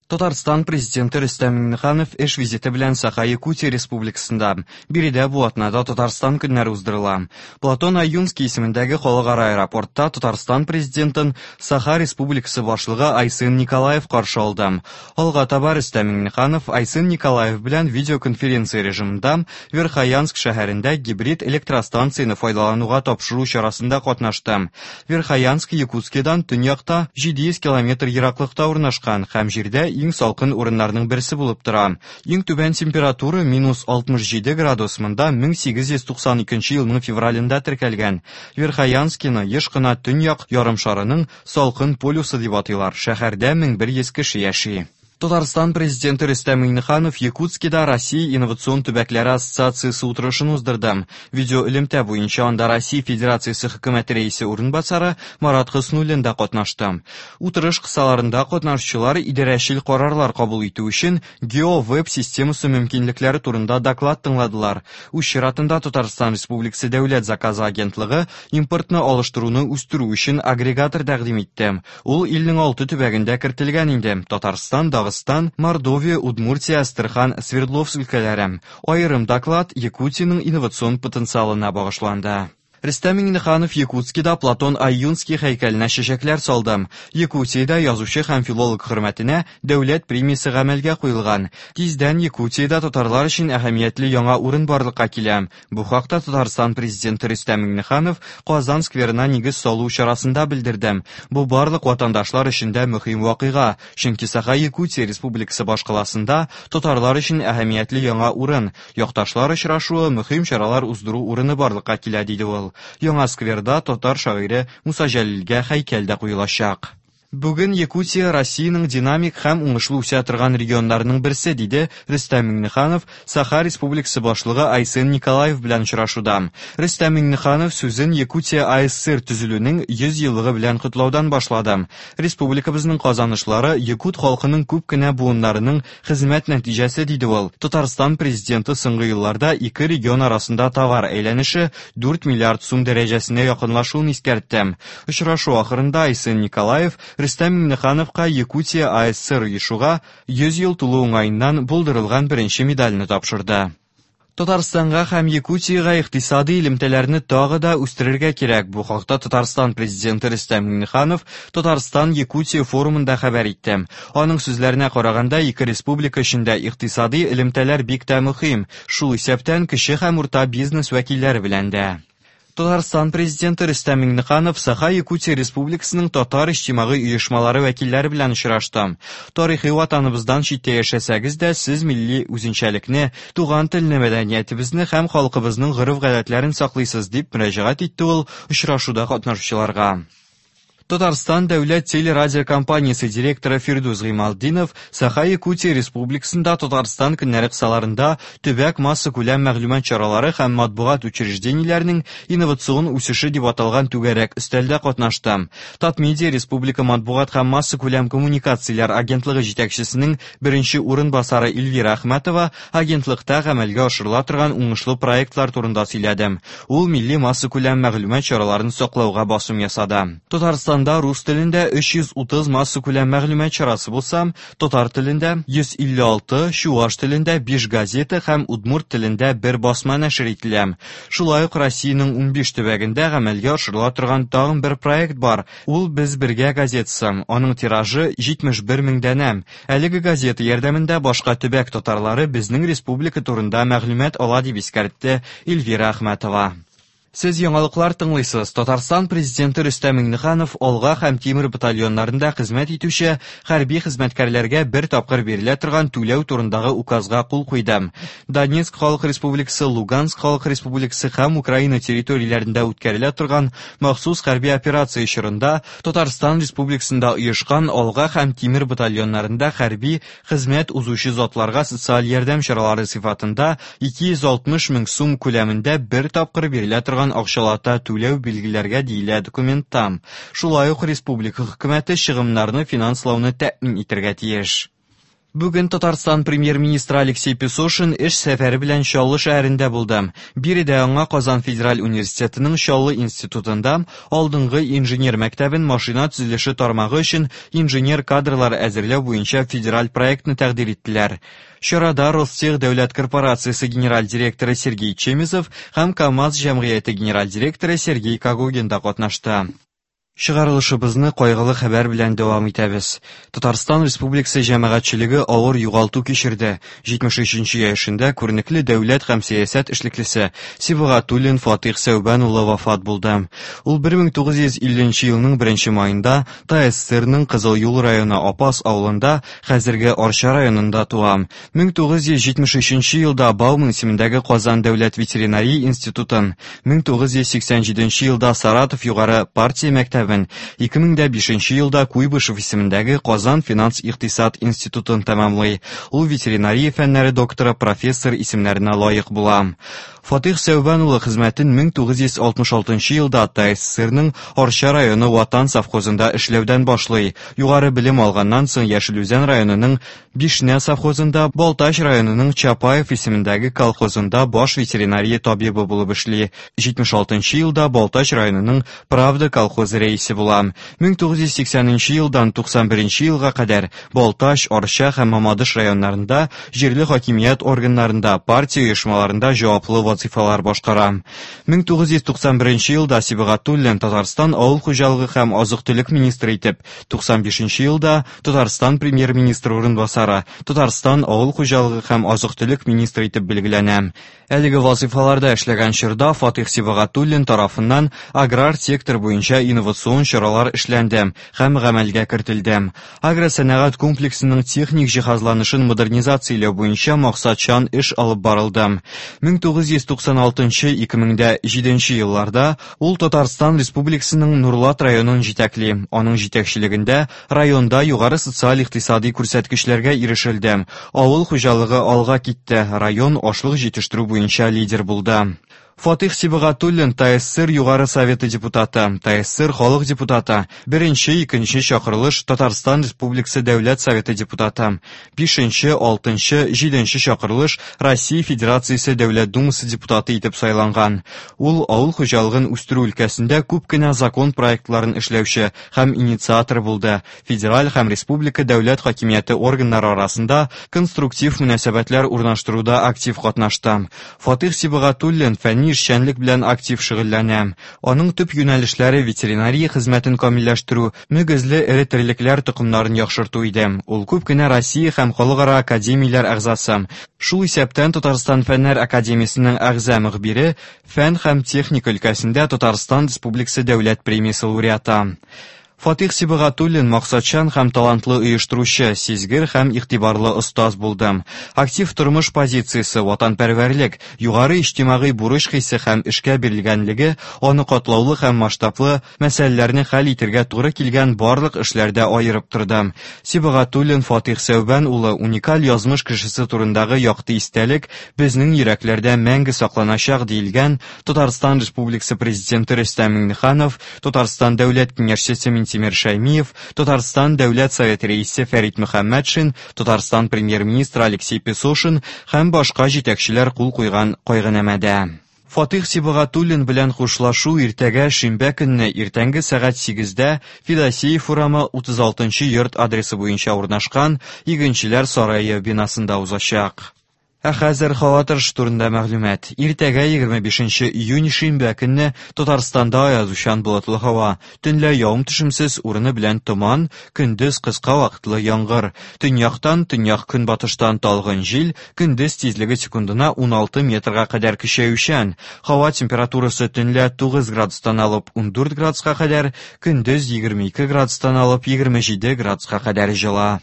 Татарстан Президенты Рөстәм Миңнеханов эш визиты белән Саха-Якутия Республикасында. Биредә бу атнада Татарстан көннәре уздырыла. Платон Аюнский исемендәге халыкара аэропортта Татарстан Президентын Саха Республикасы башлыгы Айсын Николаев каршы алды. Алга таба Рөстәм Миңнеханов Айсын Николаев белән видеоконференция режимында Верхоянск шәһәрендә гибрид электростанцияне файдалануга тапшыру чарасында катнашты. Верхоянск Якутскидан төньякта 700 километр ераклыкта урнашкан һәм җирдә иң салкын урыннарның берсе булып тора. Иң түбән температура минус 67 градус монда 1892 елның февралендә теркәлгән. Верхоянскины еш кына төньяк ярымшарының салкын полюсы дип атыйлар. Шәһәрдә 1100 кеше яши. Татарстан Президенты Рөстәм Миңнеханов Якутскида Россия инновацион төбәкләре ассоциациясе утырышын уздырды. Видеоэлемтә буенча анда Россия Федерациясе хөкүмәте рәисе урынбасары Марат Хөснуллин да катнашты. Утырыш кысаларында катнашучылар идарәчел карарлар кабул итү өчен GeoWeb системасы мөмкинлекләре турында доклад тыңладылар. Үз чиратында Татарстан Республикасы Дәүләт заказы агентлыгы импортны алыштыруны үстерү өчен агрегатор тәкъдим итте. Ул илнең алты төбәгендә кертелгән инде: Татарстан, Дагыстан, Мордовия, Удмуртия, Әстерхан, Свердловск өлкәләре. Аерым доклад Якутиянең инновацион потенциалына багышланды. Рөстәм Миңнеханов Якутскида Платон Аюнский һәйкәленә чәчәкләр салды. Якутиядә язучы һәм филолог хөрмәтенә дәүләт премиясе гамәлгә куелган. Тиздән Якутиядә татарлар өчен әһәмиятле яңа урын барлыкка килә. Бу хакта Татарстан Президенты Рөстәм Миңнеханов Казан скверына нигез салу чарасында белдерде. Бу барлык ватандашлар өчен дә мөһим вакыйга, чөнки Саха-Якутия Республикасы башкаласында татарлар өчен әһәмиятле яңа урын, якташлар очрашуы, мөһим чаралар уздыру урыны барлыкка килә, диде ул. Яңа скверда татар шагыйре Муса Җәлилгә һәйкәл дә куелачак. Бүген Якутия Россиянең динамик һәм уңышлы үсә торган регионнарының берсе, диде Рөстәм Миңнеханов Саха Республикасы башлыгы Айсен Николаев белән очрашуда. Рөстәм Миңнеханов сүзен Якутия АССР төзелүнең 100 еллыгы белән котлаудан башлады. Республикабызның казанышлары якут халкының күп кенә буыннарының хезмәт нәтиҗәсе, диде ул. Татарстан Президенты соңгы елларда ике регион арасында товар әйләнеше 4 миллиард сум дәрәҗәсенә якынлашуын искәртте. Очрашу ахырында Айсен Николаев Рөстәм Миңнехановка Якутия АССР оешуга 100 ел тулу уңаеннан булдырылган беренче медальне тапшырды. Татарстанга һәм Якутиягә икътисади элемтәләрне тагы да үстерергә кирәк. Бу хакта Татарстан Президенты Рөстәм Миңнеханов Татарстан-Якутия форумында хәбәр итте. Аның сүзләренә караганда, ике республика өчен дә икътисади элемтәләр бик тә мөһим, шул исәптән кече һәм урта бизнес вәкилләре белән дә. Татарстан Президенты Рөстәм Миңнеханов Саха-Якутия Республикасының татар иҗтимагый оешмалары вәкилләре белән очрашты. Тарихи ватаныбыздан читтә яшәсәгез дә, сез милли үзенчәлекне, туган телне, мәдәниятебезне һәм халкыбызның гореф-гадәтләрен саклыйсыз, дип мөрәҗәгать итте ул очрашуда катнашучыларга. Татарстан дәүләт телерадиокомпаниясе директоры Фирдүс Гыймалтдинов Саха-Якутия Республикасында Татарстан көннәре кысаларында төбәк массакүләм мәгълүмат чаралары һәм матбугат учреждениеләренең инновацион үсеше дип аталган түгәрәк өстәлдә катнашты. Татмедиа республика матбугат һәм массакүләм коммуникацияләр агентлыгы җитәкчесенең беренче урынбасары Эльвира Әхмәтова агентлыкта гамәлгә ашырыла торган уңышлы проектлар турында сөйләде. Ул милли массакүләм мәгълүмат чараларын саклауга басым ясады. Татарстанда рус телендә 330 массакүләм мәгълүмат чарасы булса, татар телендә 156, чуаш телендә 5 газета һәм удмурт телендә бер басма нәшер ителә. Шулай ук Россиянең 15 төбәгендә гамәлгә ашырыла торган тагын бер проект бар. Ул Без бергә газетасы. Аның тиражы 71 мең данә. Әлеге газета ярдәмендә башка төбәк татарлары безнең республика турында мәгълүмат ала, дип искәртте Эльвира Әхмәтова. Сез яңалыклар тыңлыйсыз. Татарстан Президенты Рөстәм Миңнеханов Алга һәм Тимер батальоннарында хезмәт итүче хәрби хезмәткәрләргә бер тапкыр бирелә торган түләү турындагы указга кул куйды. Донецк Халык Республикасы, Луганск Халык Республикасы һәм Украина территорияләрендә үткәрелә торган махсус хәрби операция чорында Татарстан Республикасында оешкан Алга һәм Тимер батальоннарында хәрби хезмәт узучы затларга социаль ярдәм чаралары сыйфатында 260 мең сум күләмендә бер тапкыр бирелә торган акчалата түләү билгеләргә, диелә документта. Шулай ук республика хөкүмәте чыгымнарны финанслауны тәэмин итәргә тиеш. Бүген Татарстан премьер-министры Алексей Песошин эш сәфәре белән Чаллы шәһәрендә булды. Биредә аңа Казан федераль университетының Чаллы институтында алдынгы инженер мәктәбен машина төзелеше тармагы өчен инженер кадрлар әзерләү буенча федераль проектны тәкъдир иттеләр. Чарада Ростех дәүләт корпорациясе генераль директоры Сергей Чемезов һәм КАМАЗ җәмгыяте генераль директоры Сергей Когогин да катнашты. Чыгарылышыбызны кайгылы хәбәр белән дәвам итәбез. Татарстан Республикасы җәмәгатьчелеге авыр югалту кичерде. 73 яшендә күренекле дәүләт һәм сәясәт эшлеклесе Сибгатуллин Фатих Сәүбән улы вафат булды. Ул 1950 елның 1 маенда ТАССРның Кызыл Юл районы Апас авылында, хәзерге Арча районында туа. 1973 елда Бауман исемендәге Казан дәүләт ветеринария институтын, 1987 елда Саратов югары партия мәктәбен, 2005 елда Куйбышев исемендәге Казан финанс-икътисад институтын тәмамлый. Ул ветеринария фәннәре докторы, профессор исемнәренә лаек була. Фатих Сәүбән улы хезмәтен 1966 елда ТАССРның Арча районы Ватан совхозында эшләүдән башлый. Югары белем алганнан соң Яшел Үзән районының Бишнә совхозында, Балтач районының Чапаев исемендәге колхозында баш ветеринария табибы булып эшли. 76 елда Балтач районының Правда колхозы рәисе була. 1980 елдан 91 елга кадәр Балтач, Арча һәм Мамадыш районнарында җирле хакимият органнарында, партия оешмаларында җаваплы вазифалар башкара. 1991 елда Сибгатуллин Татарстан авыл хуҗалыгы һәм азык-төлек министры итеп, 95 елда Татарстан премьер-министры урынбасары, Татарстан авыл хуҗалыгы һәм азык-төлек министры итеп билгеләнә. Әлеге вазифаларда эшләгән чорда Фатих Сибгатуллин тарафыннан аграр сектор буенча инновацион чаралар эшләнде һәм гамәлгә кертелде. Агросәнәгать комплексының техник җиһазланышын модернизацияләү буенча максатчан эш алып барылды. 1996-2007 елларда ул Татарстан Республикасының Нурлат районын җитәкли. Аның җитәкчелегендә районда югары социаль-икътисади күрсәткечләргә ирешелде. Авыл хуҗалыгы алга китте, район ашлык җитештерү буенча лидер булды. Фатих Сибгатуллин ТАССР Югары Советы депутаты, ТАССР халык депутаты, беренче, икенче чакырылыш Татарстан Республикасы Дәүләт Советы депутаты, бишенче, алтынчы, җиденче чакырылыш Россия Федерациясе Дәүләт Думасы депутаты итеп сайланган. Ул авыл хуҗалыгын үстерү өлкәсендә күп кенә закон проектларын эшләүче һәм инициатор булды. Федераль һәм республика дәүләт хакимияте органнары арасында конструктив мөнәсәбәтләр урнаштыруда актив катнашты. Фатих Сибгатуллин фәнни эшчәнлек белән актив шөгыльләнә. Аның төп юнәлешләре ветеринария хезмәтен камилләштерү, мөгезле эре терлекләр токымнарын яхшырту иде. Ул күп кенә Россия һәм халыкара академияләр әгъзасы. Шул исәптән Татарстан Фәннәр академиясенең әгъза мөхбире, фән һәм техника өлкәсендә Татарстан Республикасы дәүләт премиясе лауреаты. Фатих Сибгатуллин максатчан һәм талантлы оештыручы, сизгер һәм игътибарлы остаз булды. Актив тормыш позициясе, ватанпәрвәрлек, югары иҗтимагый бурыч хисе һәм эшкә бирелгәнлеге аны катлаулы һәм масштаблы мәсьәләләрне хәл итергә туры килгән барлык эшләрдә аерып торды. Сибгатуллин Фатих Сәүбән улы уникаль язмыш кешесе турындагы якты истәлек безнең йөрәкләрдә мәңге сакланачак, диелгән Татарстан Республикасы Президенты Рөстәм Миңнеханов, Татарстан Дәүләт Киңәшчесе Минтимер Шәймиев, Татарстан Дәүләт Советы рәисе Фәрит Мөхәммәтшин, Татарстан премьер-министры Алексей Песошин һәм башка җитәкчеләр кул куйган кайгынамәдә. Фатих Сибгатуллин белән хушлашу иртәгә шимбә көнне иртәнге сәгать 8-дә Федосеев урамы 36 йорт адресы буенча урнашкан Игенчеләр сарае бинасында узачак. Ә хәзер һава торышы турында мәгълүмат. Иртәгә 25 июнь шимбә көнне Татарстанда аязучан болытлы һава. Төнлә явым-төшемсез, урыны белән томан, көндез кыска вакытлы яңгыр. Төньяктан, төньяк-көнбатыштан талгын җил, көндез тизлеге секундына 16 метрга кадәр көчәючән. Һава температурасы төнлә 9 градустан алып 14 градуска кадәр, көндез 22 градустан алып 27 градуска кадәр җыла.